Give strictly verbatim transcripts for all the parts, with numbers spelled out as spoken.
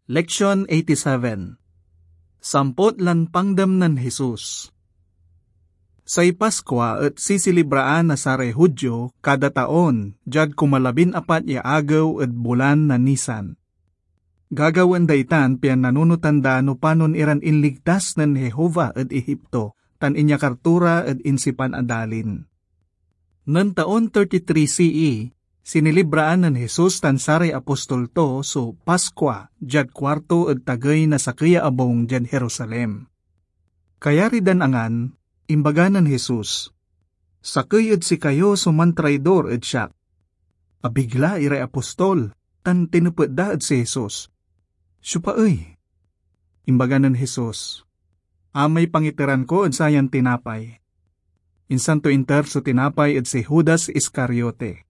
Leksion eighty-seven. Sampot lan pangdem nen Jesus. Say Paskua et sisilibraan na saray Judio kada taon diad kumalabin apat ya agew ed bulan na Nisan. Gagawaen da itan pian nanunotan da no panon iran inligtas nen Jehovah ed Egipto tan inyakar to ra ed insipan a dalin. Nen taon thirty-three C E, sinilibraan nen Jesus tan saray apostol to so Paskua diad kuarto ed tagey na sakey ya abung diad Jerusalem. Kayari dan angan, imbaga nen Jesus, "Sakey ed sikayo so mantraidor ed siak." Abigla iray apostol tan tinepet da ed si Jesus, "Siopa ey?" Imbaga nen Jesus, "Amay pangiteran ko ed sayan tinapay." Insan to inter so tinapay ed si Judas Iscariote.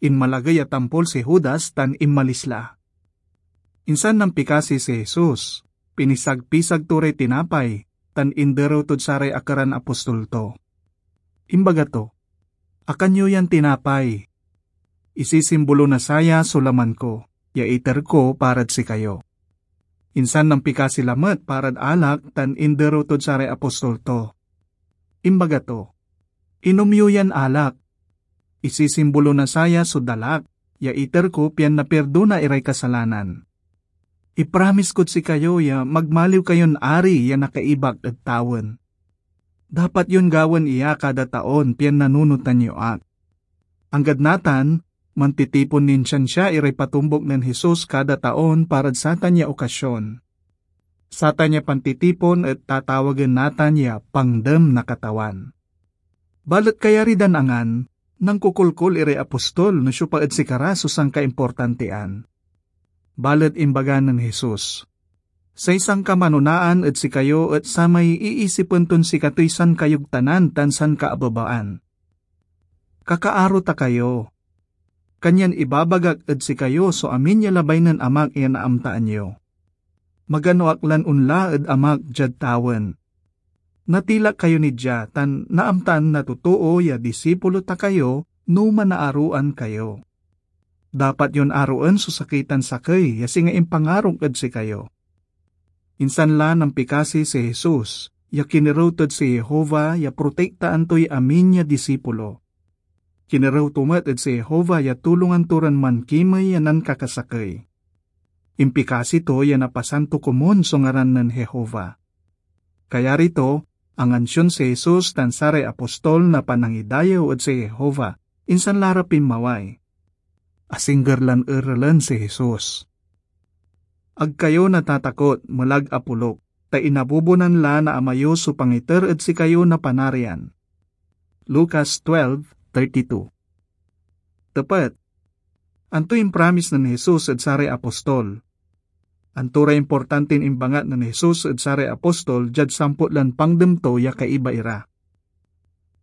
Inmalagey a tampol si Judas tan inmalis la. Insan nampikasi si Jesus, pinisagpisag to ray tinapay, tan inderew tod saray akeran apostol to. Imbaga to, "Akan yo yan tinapay. Isisimbolo na saya so laman ko, ya iter ko parad sikayo." Insan nampikasi lamet parad alak tan inderew tod saray apostol to. Imbaga to, "Inom yo yan alak. Isisimbolo na saya so dalak ya iter ko pian napirdona iray kasalanan. Ipramis kod sikayo ya magmaliw kayon ari ya nakaibak ed tawen. Dapat yon gawaen iya kada taon pian nanunotan yo ak." Anggad natan, mantitipon nin siansia iray patombuk nen Jesus kada taon parad satan ya okasion. Satan ya pantitipon et tatawagen natan ya Pangdem na Katawan. Balet kayari dan angan, nankokolkol iray apostol no siopa ed sikara so sankaimportantian. Balet imbaga nen Jesus, "Say sankamanonaan ed sikayo et samay iisipen ton sikatoy sankayogtanan tan sankaabebaan. Kakaaro ta kayo. Kanyan ibabagak ed sikayo so amin ya labay nen Amak ya naamtaan yo. Magano ak lan onla ed Amak diad tawen. Natilak kayo ni dia tan naamtaan na totoo ya disipulo ta kayo no manaaroan kayo. Dapat yon aroen so sakey tan sakey ya singa impangarok ed sikayo." Insan la nampikasi si Jesus, ya kinerew tod si Jehovah ya protektaan toy amin ya disipulo. Kinerew to met ed si Jehovah ya tulongan to ran mankimey ya nankakasakey. Impikasi to ya napasanto komun so ngaran nen Jehovah. Kayari to, angansion si Jesus tan saray apostol na panangidayew ed si Jehovah, insan la ra pinmaway. Asingger lan erelen si Jesus. "Ag kayo natatakot, melag a poluk, ta inabubonan la na Ama yo so pangiter ed sikayo na Panarian." Lucas twelve thirty-two. Tepet, antoy impromise nen Jesus ed saray apostol? Anto ray importantin imbangat nen Jesus ed saray apostol diad sampot lan pangdem to ya kaiba ira?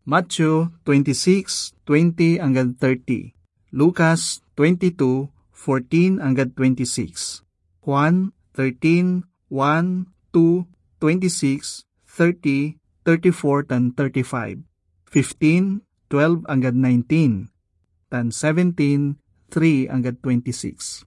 Matthew twenty-six twenty anggad thirty, Lucas twenty-two fourteen anggad twenty-six, Juan thirteen one, two, twenty-six, thirty, thirty-four tan thirty-five, fifteen twelve anggad nineteen, tan seventeen three anggad twenty-six.